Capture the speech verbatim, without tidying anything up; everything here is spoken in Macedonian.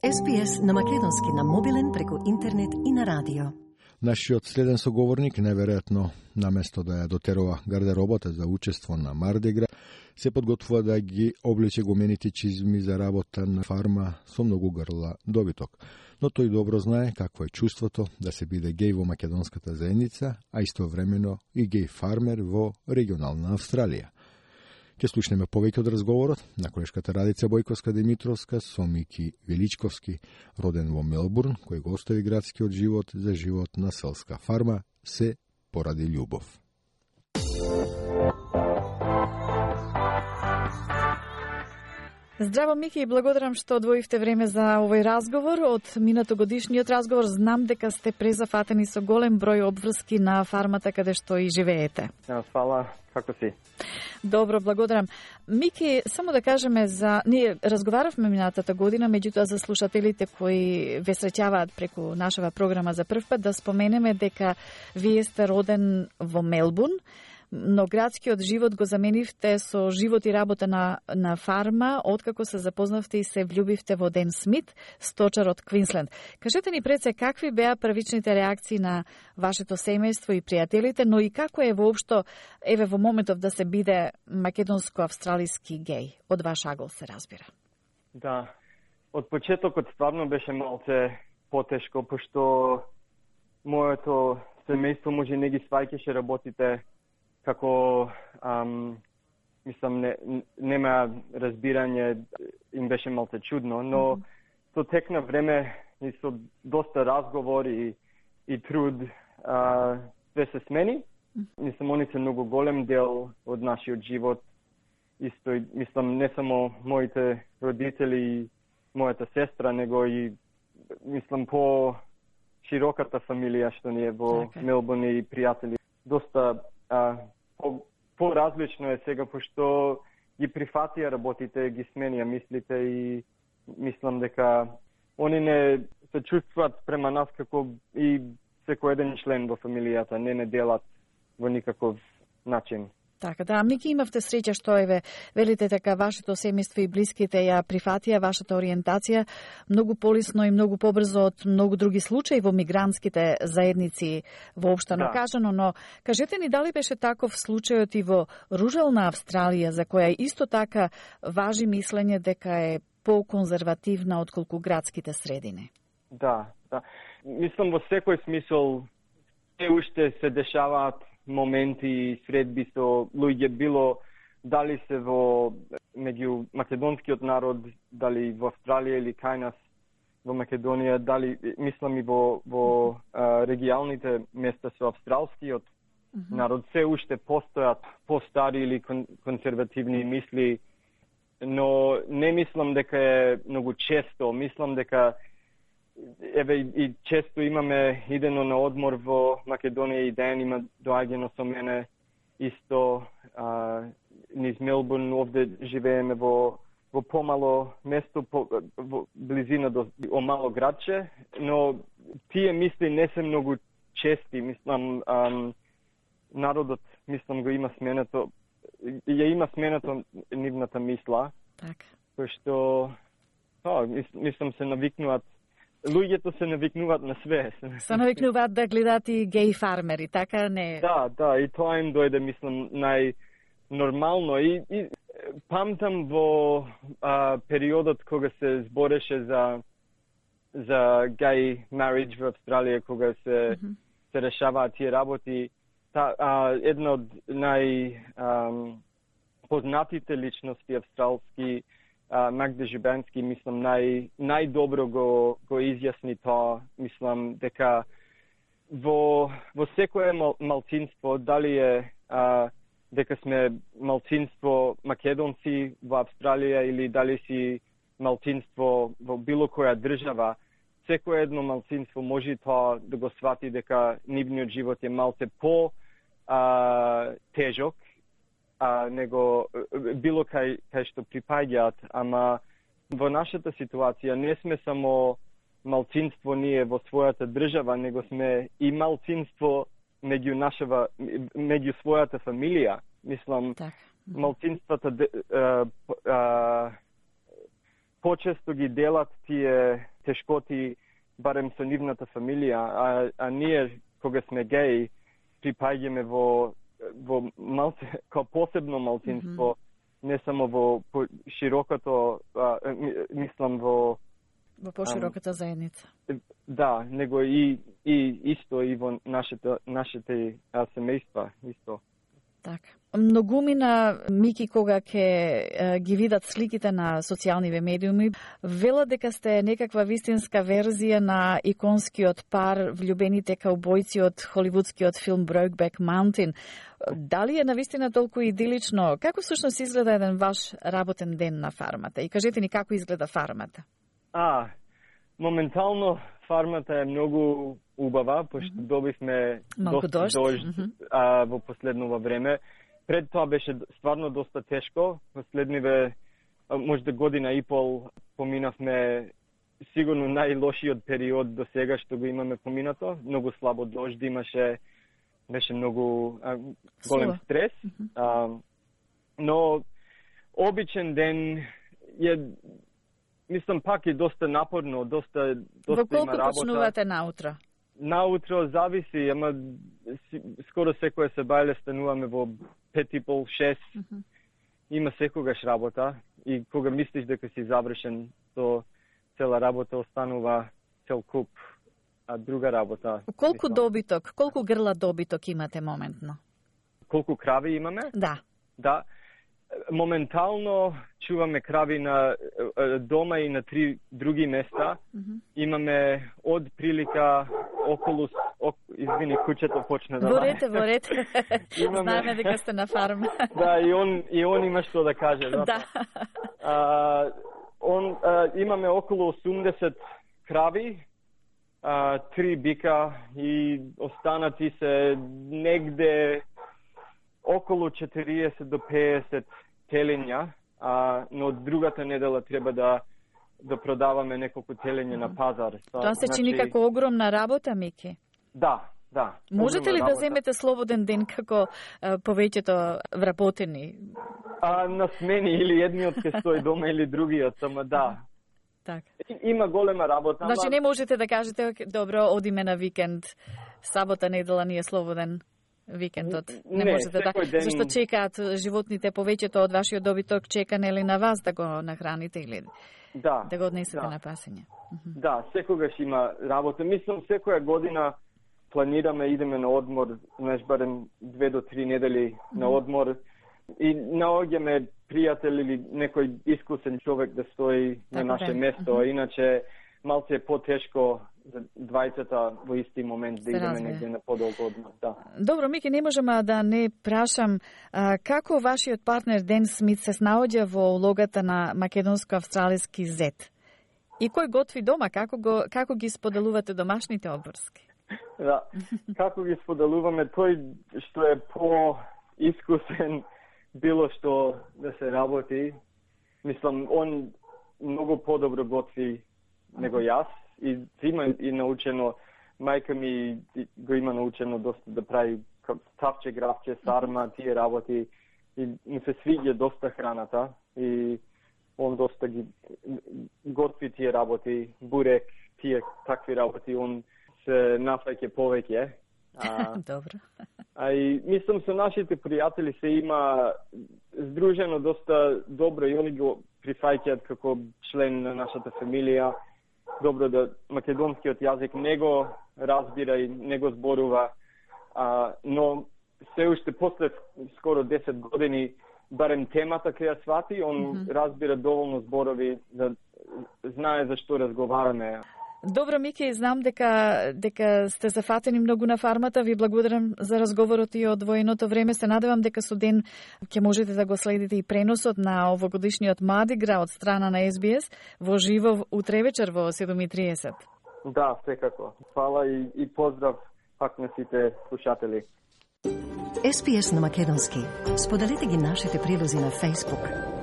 Ес Би Ес на македонски на мобилен преку интернет и на радио. Нашиот следен соговорник, неверојатно, наместо да ја дотерува гардеробата за учество на Марди Гра, се подготвува да ги облече гумените чизми за работа на фарма со многу грла добиток. Но тој добро знае какво е чувството да се биде геј во македонската заедница, а истовремено и геј фармер во регионална Австралија. Ке слушнеме повеќе од разговорот на колешката Радица Бојковска-Димитровска со Мики Величковски, роден во Мелбурн, кој го остави градскиот живот за живот на селска фарма, се поради љубов. Здраво, Мики, и благодарам што одвоивте време за овој разговор. Од минатогодишниот разговор знам дека сте презафатени со голем број обврски на фармата каде што и живеете. Фала, како си? Добро, благодарам. Мики, само да кажеме за... Ние разговаравме минатата година, меѓутоа за слушателите кои ве среќаваат преку нашава програма за прв пат, да споменеме дека вие сте роден во Мелбурн, но градскиот живот го заменивте со живот и работа на, на фарма, откако се запознавте и се влюбивте во Ден Смит, сточар од Квинсленд. Кажете ни пред се какви беа првичните реакции на вашето семејство и пријателите, но и како е воопшто, еве во моментов да се биде македонско-австралиски геј, од ваш агол се разбира. Да, од почетокот стварно беше малце потешко, пошто моето семејство може не ги сваќаше работите како, ам, мислам, не, нема разбирање, им беше малце чудно, но mm -hmm. со тек на време и со доста разговори и, и труд а, све се смени. Mm -hmm. Мислам, они се многу голем дел од нашиот живот. Исто, мислам, не само моите родители и мојата сестра, него и, мислам, по широката фамилија што ни е во okay. Мелбурн и пријатели. Доста а, по, по-различно е сега, пошто ги прифатија работите, ги сменија мислите и мислам дека они не се чувствуваат према нас како и секој еден член во фамилијата, не не делат во никаков начин. Така, да, Мики, имавте среќа што еве, велите дека вашето семејство и блиските ја прифатија вашата ориентација многу полесно и многу побрзо од многу други случаи во мигрантските заедници воопштено да. кажано, но кажете ни дали беше таков случајот и во рурална Австралија, за која исто така важи мислење дека е по-конзервативна отколку градските средини? Да, да. Мислам во секој смисол се уште се дешаваат моменти и средби со луѓе, било дали се во меѓу македонскиот народ, дали во Австралија или кај нас во Македонија, дали мислам и во во а, регионалните места со австралскиот mm -hmm. народ, се уште постојат постари или кон, конзервативни мисли, но не мислам дека е многу често, мислам дека еве и често имаме идено на одмор во Македонија и Ден има доаѓано со мене исто а, низ Мелбурн, овде живееме во во помало место, по, во близина до о мало градче, но тие мисли не се многу чести, мислам ам, народот мислам го има сменето, ја има сменето нивната мисла. Така. Пошто а, мислам се навикнуваат. Луѓето се навикнуваат на све. Се навикнуваат да гледаат и геј фармери, така не? Да, да, и тоа им дојде, мислам, најнормално. И, и памтам во а, периодот кога се збореше за за геј marriage во Австралија, кога се, mm -hmm. се решаваат тие работи, та, а, една од најпознатите личности австралски, Uh, Магда Жубенски, мислам, нај, најдобро го, го изјасни тоа, мислам, дека во, во секое мал, малцинство, дали е uh, дека сме малцинство македонци во Австралија или дали си малцинство во било која држава, секое едно малцинство може тоа да го свати дека нивниот живот е малце по uh, тежок, а него било кај кај што припаѓаат, ама во нашата ситуација не сме само малцинство ние во својата држава, него сме и малцинство меѓу нашава меѓу својата фамилија. Мислам, так. малцинствата а, а, почесто ги делат тие тешкоти барем со нивната фамилија, а, а ние кога сме геи припаѓаме во во малце, као посебно малцинство, mm-hmm. не само во по, широкото, а, мислам во во пошироката заедница. Да, него и и исто и во нашите нашите а, семејства исто. Така. Многумина Мики кога ќе ги видат сликите на социјалниве медиуми, велат дека сте некаква вистинска верзија на иконскиот пар влюбените каубојци од холивудскиот филм Brokeback Mountain. Дали е навистина толку идилично? Како всушност изгледа еден ваш работен ден на фармата? И кажете ни како изгледа фармата? А, моментално фармата е многу убава, пошто mm-hmm. добивме Малку доста дожд, дожд mm-hmm. а, во последново време. Пред тоа беше стварно доста тешко. Последниве, можда година и пол, поминавме сигурно најлошиот период до сега што го имаме поминато. Многу слабо дожд имаше, беше многу а, голем стрес. Mm-hmm. А, но обичен ден е, мислам, пак е доста напорно, доста, доста Во има работа. колку почнувате наутро? Наутро зависи, ама скоро секоја се бајле стануваме во пет и пол, шест. Mm-hmm. Има секогаш работа и кога мислиш дека си завршен, то цела работа останува цел куп, а друга работа. Колку мислам. добиток, колку грла добиток имате моментно? Колку крави имаме? Да. Да. Моментално чуваме крави на дома и на три други места. Mm-hmm. Имаме од прилика околу, ок, извини, куќето почна да... Ворете, ворете. Имаме... Знаеме дека сте на фарма. Да, и он, и он има што да каже. Да. Да. А, он, а, имаме околу осумдесет крави, а, три бика и останати се негде околу четириесет до пеесет телења, а, но другата недела треба да да продаваме неколку телења mm-hmm. на пазар. Тоа се чини значи... како огромна работа, Мики. Да, да. Можете ли работа. да земете слободен ден како а, повеќето вработени? А, на смени или едниот ке стои дома или другиот, ама да. Так. Има голема работа. Значи ама... не можете да кажете, добро, одиме на викенд, сабота, недела ни е слободен викендот. Не, не можете да. ден... Зашто чекаат животните, повеќето од вашиот добиток чека нели на вас да го нахраните или да, да го однесете да. на пасење. Да, секогаш има работа. Мислам секоја година планираме идеме на одмор, знаеш, барем две до три недели mm-hmm. на одмор и наоѓаме пријател или некој искусен човек да стои така на наше место, mm-hmm. иначе малце е потешко за двајцата во исти момент да идеме негде на подолго одмор. Да. Добро, Мики, не можам да не прашам а, како вашиот партнер Ден Смит се снаоѓа во улогата на македонско-австралиски зет? И кој готви дома? Како, го, како ги споделувате домашните обврски? Да, како ги споделуваме, тој што е по-искусен било што да се работи, мислам, он многу подобро готви него јас и има и научено, мајка ми го има научено доста да прави тавче, гравче, сарма, тие работи и ми се свиѓа доста храната и он доста ги готви тие работи, бурек, тие такви работи, он се нафаќа повеќе. А, Добро. А и мислам со нашите пријатели се има здружено доста добро и они го прифаќаат како член на нашата фамилија. Добро да македонскиот јазик не го разбира и не го зборува, а, но се уште после скоро десет години барем темата кај ја свати, он mm-hmm. разбира доволно зборови да знае за што разговараме. Добро, Мики, знам дека дека сте зафатени многу на фармата. Ви благодарам за разговорот и одвоеното време. Се надевам дека со Ден ќе можете да го следите и преносот на овогодишниот Марди Гра од страна на Ес Би Ес во живо утре вечер во седум и триесет. Да, секако. Фала и, и поздрав пак на сите слушатели. Ес Би Ес на македонски. Споделете ги нашите прилози на Facebook.